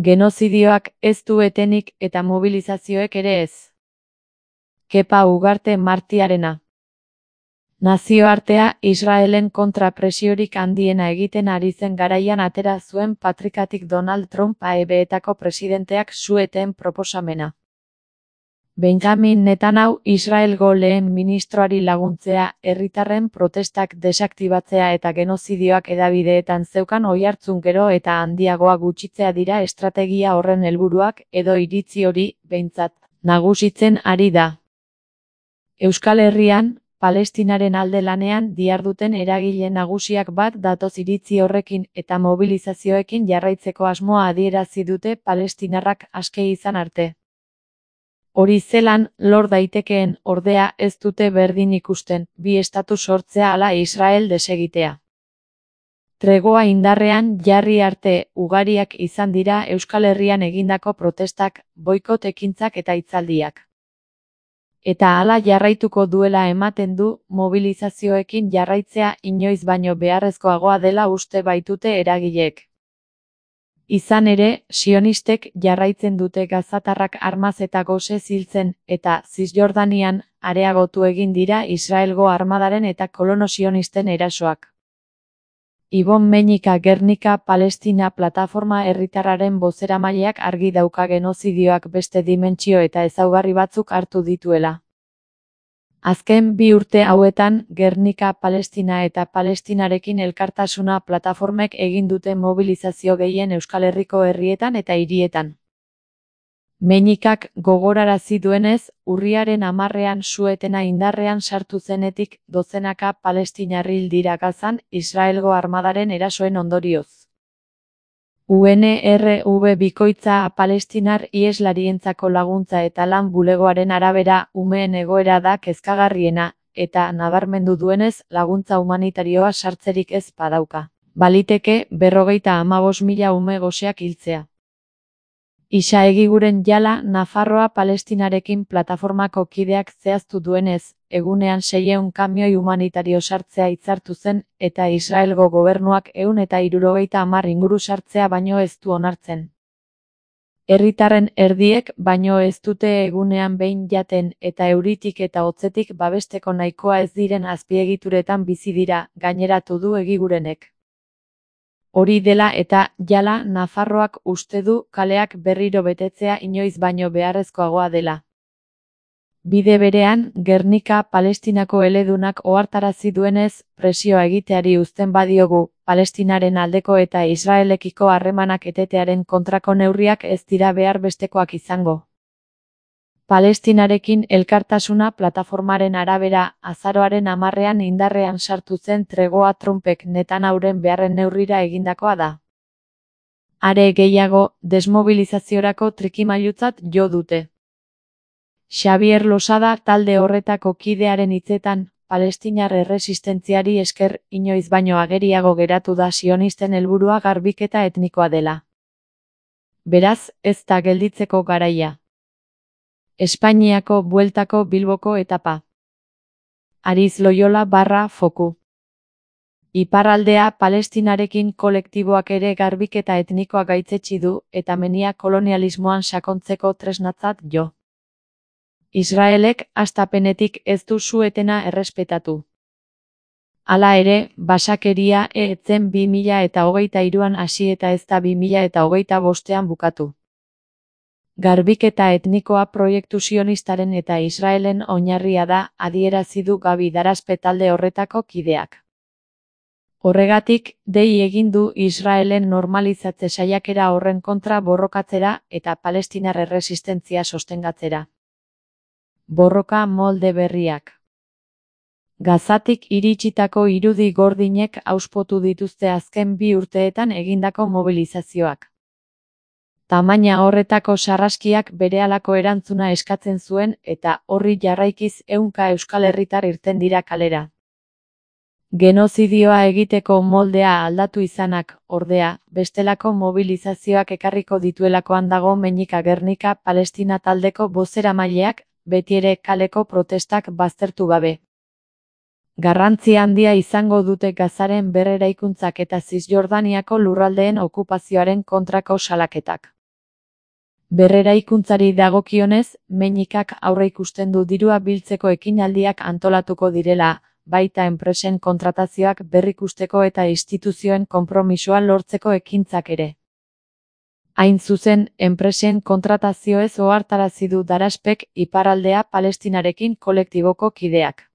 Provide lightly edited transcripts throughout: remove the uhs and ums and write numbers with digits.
Genozidioak ez du etenik eta mobilizazioek ere ez. Kepa Ugarte Martiarena. Nazioartea Israelen kontra presiorik handiena egiten ari zen garaian atera zuen patrikatik Donald Trump AEBetako presidenteak su-eten proposamena. Benjamin Netanyahu Israelgo lehen ministroari laguntzea, herritarren protestak desaktibatzea eta genozidioak hedabideetan zeukan oihartzun gero eta handiagoa gutxitzea dira estrategia horren helburuak edo iritzi hori, behintzat, nagusitzen ari da. Euskal Herrian, Palestinaren alde lanean diharduten eragile nagusiak bat datoz iritzi horrekin eta mobilizazioekin jarraitzeko asmoa adierazi dute palestinarrak aske izan arte. Hori zelan, lor daitekeen, ordea, ez dute berdin ikusten, bi estatu sortzea ala Israel desegitea. Tregoa indarrean jarri arte ugariak izan dira Euskal Herrian egindako protestak, boikot ekintzak eta hitzaldiak. Eta hala jarraituko duela ematen du, mobilizazioekin jarraitzea inoiz baino beharrezkoagoa dela uste baitute eragileek. Izan ere, sionistek jarraitzen dute gazatarrak armaz eta gosez hiltzen, eta Zisjordanian areagotu egin dira Israelgo armadaren eta kolono sionisten erasoak. Ibon Meñika Gernika Palestina Plataforma herritarraren bozeramaileak argi dauka genozidioak beste dimentsio eta ezaugarri batzuk hartu dituela. Azken 2 urte hauetan, Gernika Palestina eta Palestinarekin elkartasuna plataformek egin dute mobilizazio gehien Euskal Herriko herrietan eta hirietan. Meñikak gogorarazi duenez, urriaren 10ean su-etena indarrean sartu zenetik, dozenaka palestinar hil dira Gazan, Israelgo armadaren erasoen ondorioz. UNRW bikoitza palestinar iheslarientzako laguntza eta lan bulegoaren arabera umeen egoera da kezkagarriena, eta nabarmendu duenez laguntza humanitarioa sartzerik ez badauka. Baliteke 55.000 ume goseak hiltzea. Isa Egiguren Jala Nafarroa Palestinarekin plataformako kideak zehaztu duenez, egunean 600 kamioi humanitario sartzea hitzartu zen, eta Israelgo gobernuak 170 inguru sartzea baino ez du onartzen. Herritarren erdiek baino ez dute egunean behin jaten eta euritik eta hotzetik babesteko nahikoa ez diren azpiegituretan bizi dira, gaineratu du Egigurenek. Hori dela eta Jala Nafarroak uste du kaleak berriro betetzea inoiz baino beharrezkoagoa dela. Bide berean, Gernika Palestinako eledunak ohartarazi duenez, presioa egiteari uzten badiogu, Palestinaren aldeko eta Israelekiko harremanak etetearen kontrako neurriak ez dira behar bestekoak izango. Palestinarekin elkartasuna plataformaren arabera, azaroaren 10ean indarrean sartu zen tregoa Trumpek Netanyahuren beharren neurrira egindakoa da. Are gehiago, desmobilizaziorako trikimailutzat jo dute. Xabier Losada talde horretako kidearen hitzetan, palestinar erresistentziari esker inoiz baino ageriago geratu da sionisten helburua garbiketa etnikoa dela. Beraz, ez da gelditzeko garaia. Espainiako bueltako Bilboko etapa. Ariz Loyola /Foku. Iparraldea Palestinarekin kolektiboak ere garbiketa etnikoa gaitzetsi du eta menia kolonialismoan sakontzeko tresnatzat jo. Israelek hastapenetik ez du su-etena errespetatu. Hala ere, basakeria ez zen 2023an hasi eta ez da 2025an bukatu. Garbiketa etnikoa proiektu sionistaren eta Israelen oinarria da, adierazi du Gabi Darazpe talde horretako kideak. Horregatik, dei egin du Israelen normalizatze saiakera horren kontra borrokatzera eta palestinar erresistentzia sostengatzera. Borroka molde berriak. Gazatik iritsitako irudi gordinek auspotu dituzte azken 2 urteetan egindako mobilizazioak. Tamaina horretako sarraskiak berehalako erantzuna eskatzen zuen eta horri jarraikiz 100 euskal herritar irten dira kalera. Genozidioa egiteko moldea aldatu izanak, ordea, bestelako mobilizazioak ekarriko dituelakoan dago Meñika Gernika Palestina taldeko bozeramaileak, betiere kaleko protestak baztertu gabe. Garrantzi handia izango dute Gazaren berreraikuntzak eta Zisjordaniako lurraldeen okupazioaren kontrako salaketak. Berreraikuntzari dagokionez, Meñikak aurreikusten du dirua biltzeko ekinaldiak antolatuko direla, baita enpresen kontratazioak berrikusteko eta instituzioen konpromisoa lortzeko ekintzak ere. Hain zuzen, enpresen kontratazioez ohartarazi du Daraspek Iparraldea Palestinarekin kolektiboko kideak.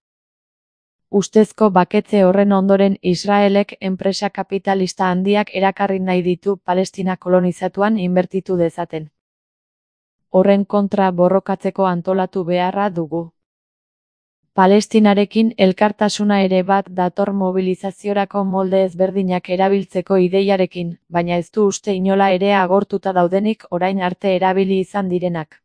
Ustezko baketze horren ondoren Israelek enpresa kapitalista handiak erakarri nahi ditu Palestina kolonizatuan inbertitu dezaten. Horren kontra borrokatzeko antolatu beharra dugu. Palestinarekin elkartasuna ere bat dator mobilizaziorako molde ezberdinak erabiltzeko ideiarekin, baina ez du uste inola ere agortuta daudenik orain arte erabili izan direnak.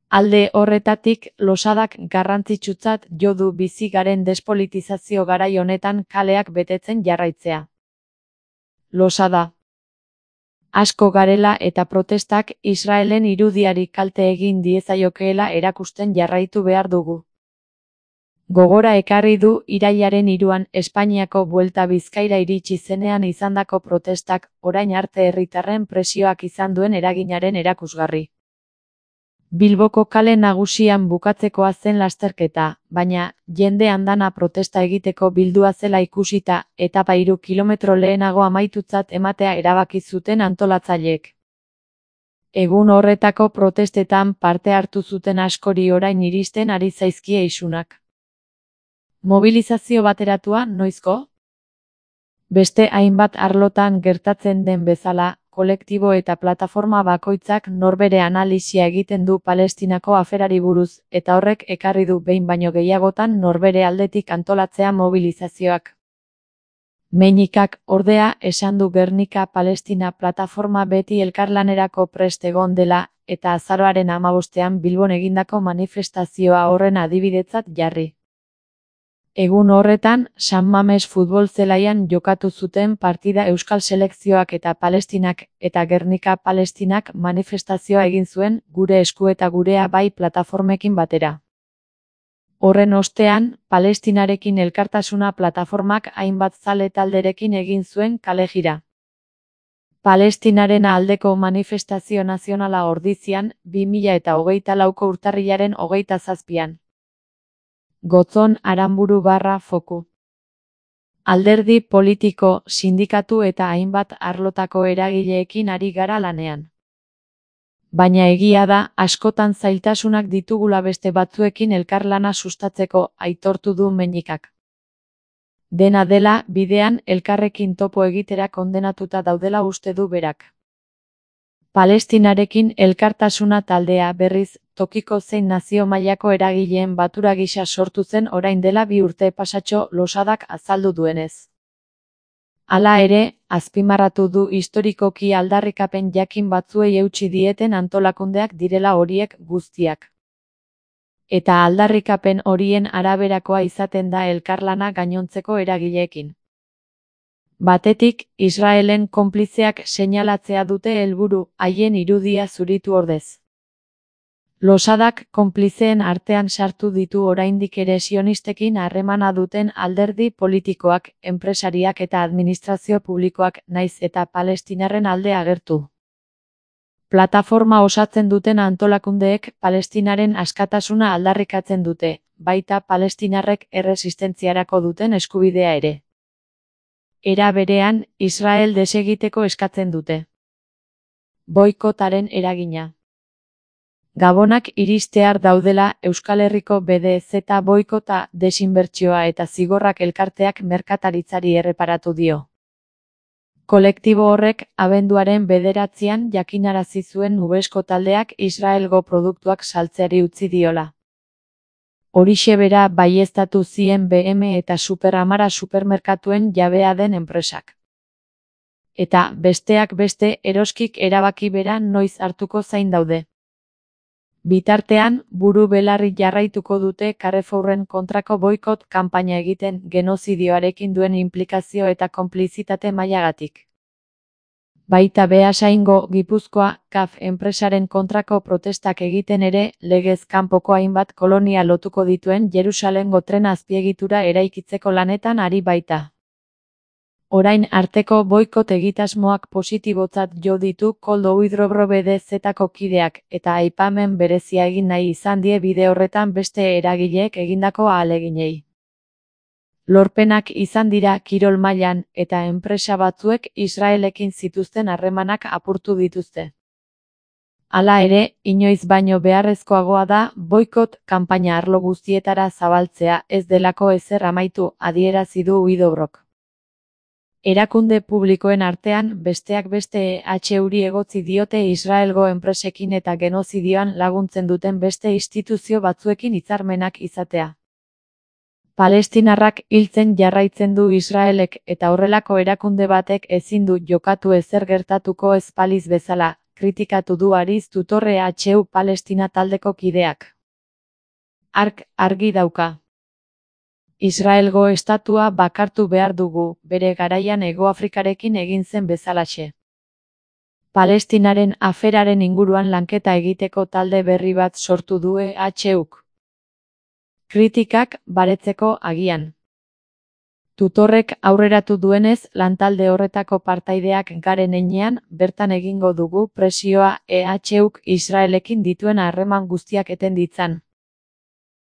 Alde horretatik, Losadak garrantzitsutzat jo du bizi garen despolitizazio garai honetan kaleak betetzen jarraitzea. Losada. Asko garela eta protestak Israelen irudiari kalte egin diezaiokeela erakusten jarraitu behar dugu. Gogora ekarri du irailaren 3an Espainiako Buelta Bizkaira iritsi zenean izandako protestak orain arte herritarren presioak izan duen eraginaren erakusgarri. Bilboko kale nagusian bukatzekoa zen lasterketa, baina jende andana protesta egiteko bildua zela ikusita, etapa 3 kilometro lehenago amaitutzat ematea erabaki zuten antolatzaileek. Egun horretako protestetan parte hartu zuten askori orain iristen ari zaizkie isunak. Mobilizazio bateratua noizko? Beste hainbat arlotan gertatzen den bezala, kolektibo eta plataforma bakoitzak norbere analisia egiten du Palestinako aferari buruz, eta horrek ekarri du behin baino gehiagotan norbere aldetik antolatzea mobilizazioak. Meñikak, ordea, esan du Gernika Palestina plataforma beti elkarlanerako prest egon dela, eta azaroaren 15ean Bilbon egindako manifestazioa horren adibidetzat jarri. Egun horretan, San Mames futbol zelaian jokatu zuten partida Euskal Selekzioak eta Palestinak, eta Gernika Palestinak manifestazioa egin zuen Gure Esku eta Gurea Bai plataformekin batera. Horren ostean, Palestinarekin elkartasuna plataformak hainbat zale talderekin egin zuen kale jira. Palestinaren aldeko manifestazio nazionala Ordizian, 2024ko urtarrilaren 27an. Gotzon Aranburu /Foku. Alderdi politiko, sindikatu eta hainbat arlotako eragileekin ari gara lanean. Baina egia da, askotan zailtasunak ditugula beste batzuekin elkarlana sustatzeko, aitortu du Meñikak. Dena dela, bidean elkarrekin topo egitera kondenatuta daudela uste du berak. Palestinarekin elkartasuna taldea berriz, tokiko zein nazio mailako eragileen batura gisa sortu zen orain dela 2 urte pasatxo Losadak azaldu duenez. Hala ere, azpimarratu du historikoki aldarrikapen jakin batzuei eutsi dieten antolakundeak direla horiek guztiak. Eta aldarrikapen horien araberakoa izaten da elkarlana gainontzeko eragileekin. Batetik, Israelen konplizeak seinalatzea dute helburu, haien irudia zuritu ordez. Losadak konplizeen artean sartu ditu oraindik ere sionistekin harremana duten alderdi politikoak, enpresariak eta administrazio publikoak naiz eta Palestinarren alde agertu. Plataforma osatzen duten antolakundeek Palestinaren askatasuna aldarrikatzen dute, baita Palestinarrek erresistentziarako duten eskubidea ere. Era berean, Israel desegiteko eskatzen dute. Boikotaren eragina. Gabonak iristear daudela Euskal Herriko BDZ boikota, desinbertsioa eta zigorrak elkarteak merkataritzari erreparatu dio. Kolektibo horrek, abenduaren 9an jakinarazi zuen Ubesko taldeak Israelgo produktuak saltzeari utzi diola. Horixe bera baieztatu zien BM eta Superamara supermerkatuen jabea den enpresak. Eta, besteak beste, eroskik erabaki bera noiz hartuko zain daude. Bitartean, buru belarri jarraituko dute Carrefourren kontrako boikot kanpaina egiten genozidioarekin duen inplikazio eta konplizitate mailagatik. Baita Beasaingo, Gipuzkoa, CAF enpresaren kontrako protestak egiten ere, legez kanpoko hainbat kolonia lotuko dituen Jerusalengo tren azpiegitura eraikitzeko lanetan ari baita. Orain arteko boikot egitasmoak positibotzat jo ditu Koldo Uidrobro BDZ-ko kideak, eta aipamen berezia egin nahi izan die bide horretan beste eragileek egindako ahaleginei. Lorpenak izan dira kirol mailan, eta enpresa batzuek Israelekin zituzten harremanak apurtu dituzte. Hala ere, inoiz baino beharrezkoagoa da boikot kanpaina arlo guztietara zabaltzea ez delako ezer amaitu, adierazi du Uidobrok. Erakunde publikoen artean, besteak beste EHuri egotzi diote Israelgo enpresekin eta genozidioan laguntzen duten beste instituzio batzuekin hitzarmenak izatea. Palestinarrak hiltzen jarraitzen du Israelek eta horrelako erakunde batek ezin du jokatu ezer gertatuko ez balitz bezala, kritikatu du Ariz Tutorre EHU Palestina taldeko kideak. Hark argi dauka. Israelgo estatua bakartu behar dugu, bere garaian Hegoafrikarekin egin zen bezalaxe. Palestinaren aferaren inguruan lanketa egiteko talde berri bat sortu du EHuk. Kritikak baretzeko agian. Tutorrek aurreratu duenez, lantalde horretako partaideak garen heinean, bertan egingo dugu presioa EHuk Israelekin dituen harreman guztiak eten ditzan.